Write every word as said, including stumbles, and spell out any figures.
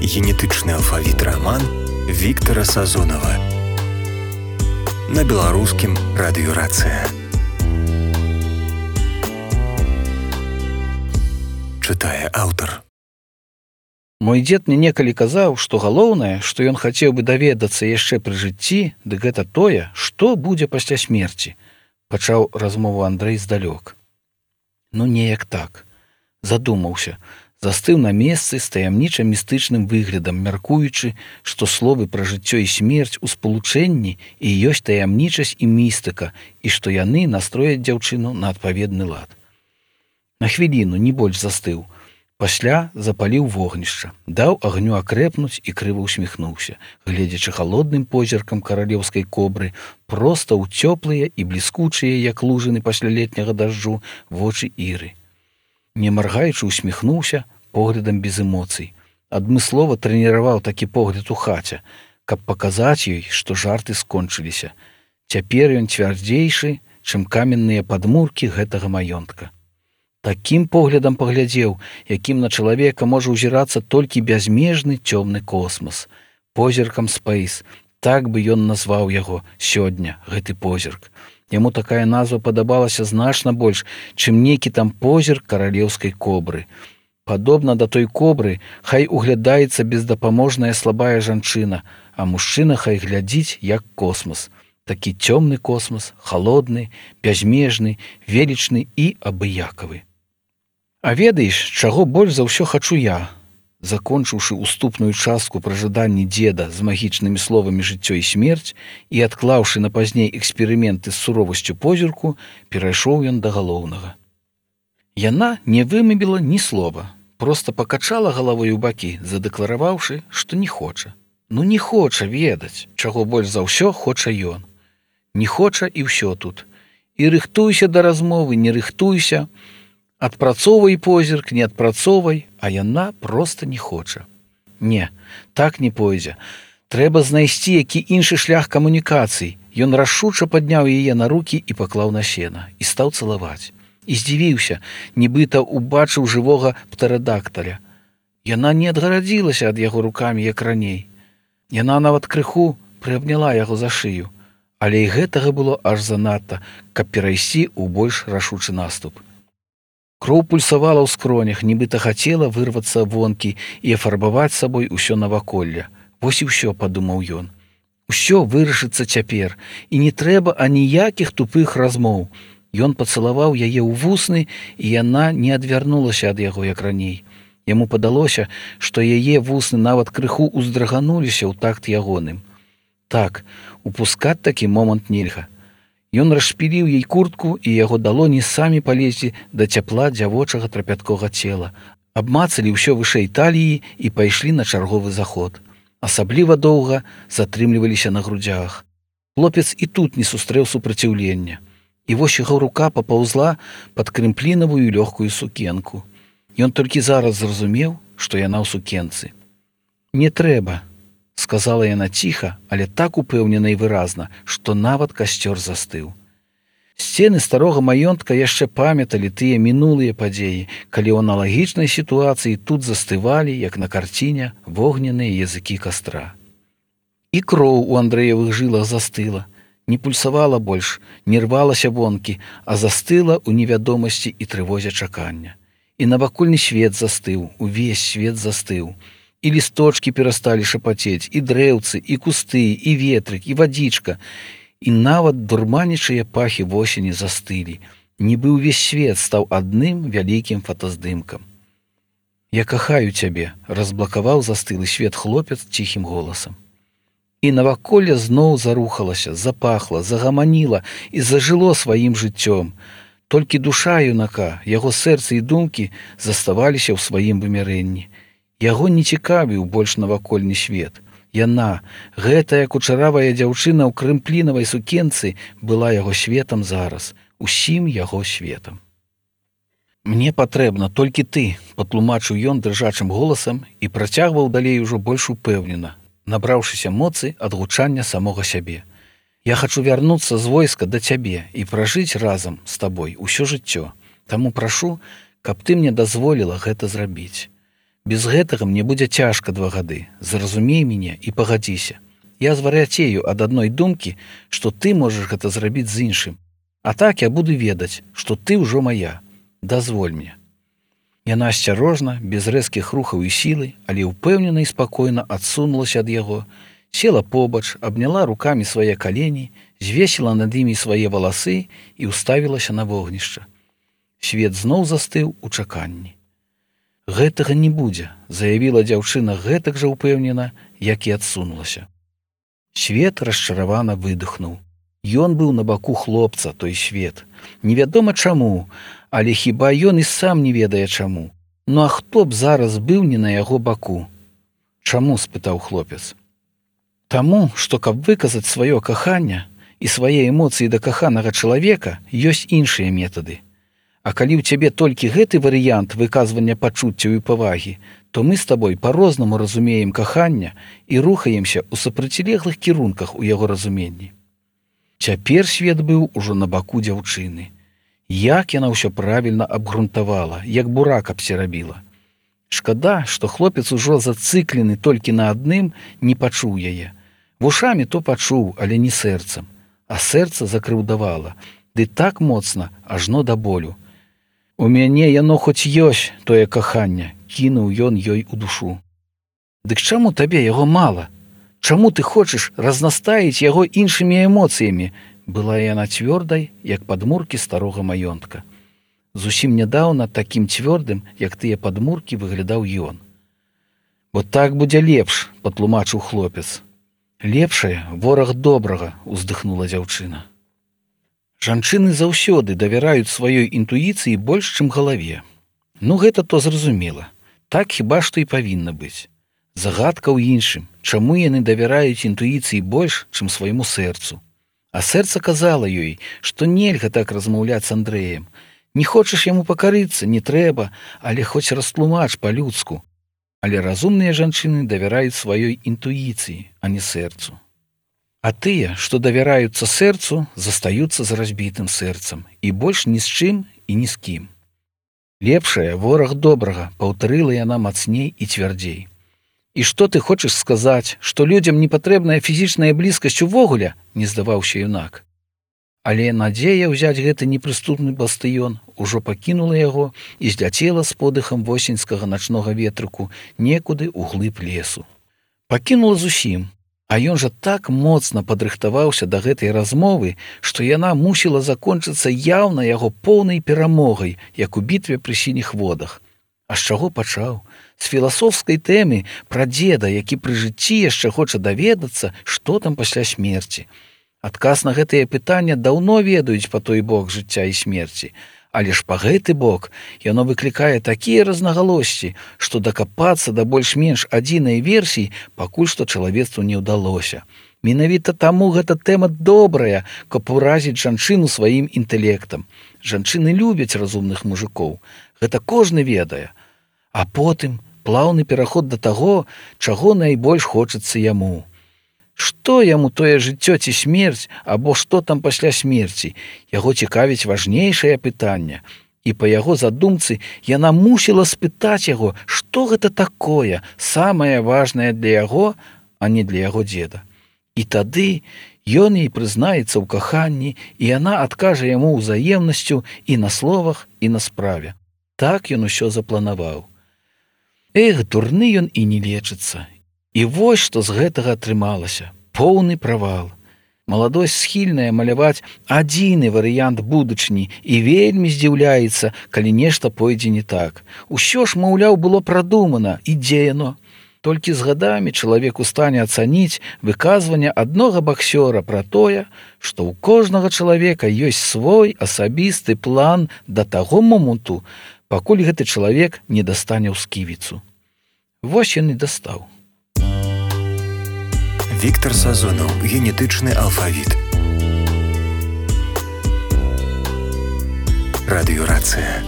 Генетычны алфавіт раман Віктара Сазонава на беларускім радыёрацыя. Чытае аўтар. Мой дзед мне некалі казаў, што галоўнае, што ён хацеў бы даведацца яшчэ пры жыцці, дык гэта тое, што будзе пасля смерці, пачаў размову Андрэй здалёк. Ну неяк так. Задумаўся, застыў на месцы з таямнічым містычным выглядам, мяркуючы, што словы пра жыццё і смерць у спалучэнні і ёсць таямнічасць і містыка, і што яны настрояць дзяўчыну на адпаведны лад. На хвіліну, не больш застыў. Пасля запаліў вогнішча, даў агню акрэпнуць і крыва усміхнуўся, гледзячы халодным позіркам каралеўскай кобры, проста ў цёплыя і бліскучыя, як лужыны пасля летняга дажджу, вочы Іры. Не маргаючы усміхнуўся поглядам без эмоцый. Адмыслова трэніраваў такі погляд у хаце, каб паказаць ёй, што жарты скончыліся. Цяпер ён цвярдзейшы, чым каменныя падмуркі гэтага маёнтка. Такім поглядам паглядзеў, якім на чалавека можа ўзірацца толькі бязмежны цёмны космас. Позіркам спэйс, так бы ён назваў яго сёння, гэты позірк. Яму такая назва падабалася значна больш, чым некі там позірк каралеўскай кобры. Падобна да той кобры, хай углядаецца бездапаможная слабая жанчына, а мужчына хай глядзіць, як космас. Такі цёмны космас, халодны, бязмежны, велічны і абыякавы. А ведаеш, чаго больш за ўсё хачу я? Закончыўшы уступную частку пра жаданні дзеда з магічнымі словамі жыццё і смерць і адклаўшы на пазней эксперыменты з суровасцю позірку, перайшоў ён да галоўнага. Яна не вымавіла ні слова, проста пакачала галавой у бакі, задэклараваўшы, што не хоча. Ну не хоча ведаць, чаго больш за ўсё хоча ён. Не хоча і ўсё тут. І рыхтуйся да размовы, не рыхтуйся, адпрацоўвай позірк, не адпрацоўвай, а яна проста не хоча. Не, так не пойдзе. Трэба знайсці які іншы шлях камунікацый. Ён рашуча падняў яе на рукі і паклаў на сена, і стаў цалаваць. І здзівіўся, нібыта убачыў жывога птэрадакталя. Яна не адгарадзілася ад яго рукамі, як раней. Яна нават крыху прыабняла яго за шыю, але і гэтага было аж занадта, каб перайсці ў больш рашучы наступ. Кроў пульсавала ў скронях, нібыта хацела вырвацца вонкі і афарбаваць сабой усё наваколле. Вось і ўсё, падумаў ён. Усё вырашыцца цяпер, і не трэба аніякіх тупых размоў. Ён пацалаваў яе ў вусны, і яна не адвярнулася ад яго, як раней. Яму падалося, што яе вусны нават крыху ўздрыгануліся ў такт ягоным. Так, упускаць такі момант нельга. Ён расшпіліў ёй куртку, і яго далоні самі палезлі да цяпла дзявочага трапяткога цела. Абмацалі ўсё вышэй таліі і пайшлі на чарговы заход. Асабліва доўга затрымліваліся на грудзях. Хлопец і тут не сустрэў супраціўлення. І вось яго рука папаўзла пад крымплінавую лёгкую сукенку. Ён толькі зараз зразумеў, што яна ў сукенцы. «Не трэба», — сказала яна ціха, але так упэўнена і выразна, што нават касцёр застыў. Сцены старога маёнтка яшчэ памяталі тыя мінулыя падзеі, калі ў аналагічнай сітуацыі тут застывалі, як на карціне, вогненныя языкі кастра. І кроў у Андрэевых жылах застыла, не пульсавала больш, не рвалася вонкі, а застыла ў невядомасці і трывозе чакання. І навакольны свет застыў, увесь свет застыў. І лісточкі перасталі шапацець, і дрэўцы, і кусты, і ветрык, і вадзічка, і нават дурманічыя пахі восені застылі, нібы ўвесь свет стаў адным вялікім фотаздымкам. «Я кахаю цябе», — разблакаваў застылы свет хлопец ціхім голасам. І наваколле зноў зарухалася, запахла, загаманіла і зажыло сваім жыццём. Толькі душа юнака, яго сэрца і думкі заставаліся ў сваім вымярэнні. Яго не цікавіў больш навакольны свет. Яна, гэтая кучаравая дзяўчына ў крымплінавай сукенцы, была яго светам зараз, усім яго светам. «Мне патрэбна толькі ты», — патлумачыў ён дрыжачым голасам і працягваў далей ужо больш упэўнена, набраўшыся моцы ад гучання самога сябе. «Я хачу вярнуцца з войска да цябе і пражыць разам з табой усё жыццё. Таму прашу, каб ты мне дазволіла гэта зрабіць. Без гэтага мне будзе цяжка два гады. Зразумей мяне і пагадзіся. Я звар'яцею ад адной думкі, што ты можаш гэта зрабіць з іншым. А так я буду ведаць, што ты ўжо моя. Дазволь мне. Яна асцярожна, без рэзкіх рухаў і сілы, але ўпэўнена і спакойна адсунулася ад яго, села побач, абняла рукамі свае калені, звесіла над імі свае валасы і ўставілася на вогнішча. Свет зноў застыў у чаканні. Гэтага не будзе, заявіла дзяўчына гэтак жа ўпэўнена, як і адсунулася. Свет расчаравана выдохнуў. Ён быў на баку хлопца, той свет. Невядома чаму, але хіба ён і сам не ведае чаму. Ну а хто б зараз быў не на яго баку? Чаму, спытаў хлопец. Таму, што каб выказаць сваё каханне і свае эмоцыі да каханага чалавека, ёсць іншыя метады. А калі ў цябе толькі гэты варыянт выказвання пачуццяў і павагі, то мы з табой па-рознаму разумеем кахання і рухаемся ў супрацьлеглых кірунках у яго разуменні. Цяпер свет быў ужо на баку дзяўчыны. Як яна ўсё правільна абгрунтавала, як бурак абсерабіла. Шкада, што хлопец ужо зацыклены толькі на адным, не пачуў яе. Вушамі то пачуў, але не сэрцам. А сэрца закрыўдавала, ды так моцна, ажно да болю. У мяне яно хоць ёсць, тое каханне, кінуў ён ёй у душу. Дык чаму табе яго мала? Чаму ты хочаш разнастаіць яго іншымі эмоцыямі? Была яна цвёрдай, як падмуркі старога маёнтка. Зусім нядаўна такім цвёрдым, як тыя падмуркі, выглядаў ён. Бо так будзе лепш, патлумачыў хлопец. Лепшае вораг добрага, уздыхнула дзяўчына. Жанчыны заўсёды давяраюць сваёй інтуіцыі больш, чым галаве. Ну, гэта то зразумела. Так хіба што і павінна быць. Загадка ў іншым, чаму яны давяраюць інтуіцыі больш, чым свайму сэрцу. А сэрца казала ёй, што нельга так размаўляць з Андрэем. Не хочаш яму пакарыцца, не трэба, але хоць растлумач па-людску. Але разумныя жанчыны давяраюць сваёй інтуіцыі, а не сэрцу. А тыя, што давяраюцца сэрцу, застаюцца з разбітым сэрцам і больш ні з чым і ні з кім. Лепшае вораг добрага, паўтарыла яна мацней і цвярдзей. І што ты хочаш сказаць, што людзям не патрэбная фізічная блізкасць увогуле, не здаваўся юнак. Але надзея ўзяць гэты непрыступны бастыён ужо пакінула яго і зляцела з подыхам восеньскага начнога ветрыку некуды ў глыб лесу. Пакінула зусім. А ён жа так моцна падрыхтаваўся да гэтай размовы, што яна мусіла закончыцца яўна яго поўнай перамогай, як у бітве пры сініх водах. А з чаго пачаў? З філасофскай тэмы пра дзеда, які пры жыцці яшчэ хоча даведацца, што там пасля смерці. Адказ на гэтае пытанне даўно ведаюць па той бок жыцця і смерці. Але ж па гэты бок яно выклікае такія рознагалоссі, што дакапацца да больш-менш адзінай версіі пакуль што чалавецтву не ўдалося. Менавіта таму гэта тэма добрая, каб уразіць жанчыну сваім інтэлектам. Жанчыны любяць разумных мужикоў. Гэта кожны ведае. А потым плаўны пераход да таго, чаго найбольш хочацца яму. Што яму тое жыццё ці смерць, або што там пасля смерці? Яго цікавіць важнейшае пытанне. І па яго задумцы яна мусіла спытаць яго, што гэта такое, самае важнае для яго, а не для яго дзеда. І тады ён ёй прызнаецца ў каханні, і яна адкажа яму ўзаемнасцю і на словах, і на справе. Так ён усё запланаваў. Эх, дурны ён і не лечыцца. І вось што з гэтага атрымалася. Поўны правал. Маладосць схільная маляваць адзіны варыянт будучыні і вельмі здзіўляецца, калі нешта пойдзе не так. Усё ж, маўляў, было прадумана, і дзе яно? Толькі з гадамі чалавек у стане ацаніць выказванне аднога баксёра пра тое, што ў кожнага чалавека ёсць свой асабісты план да таго моманту, пакуль гэты чалавек не дастане ў сківіцу. Вось ён і дастаў. Віктор Сазонаў. Генетычны алфавіт. Радыёрацыя.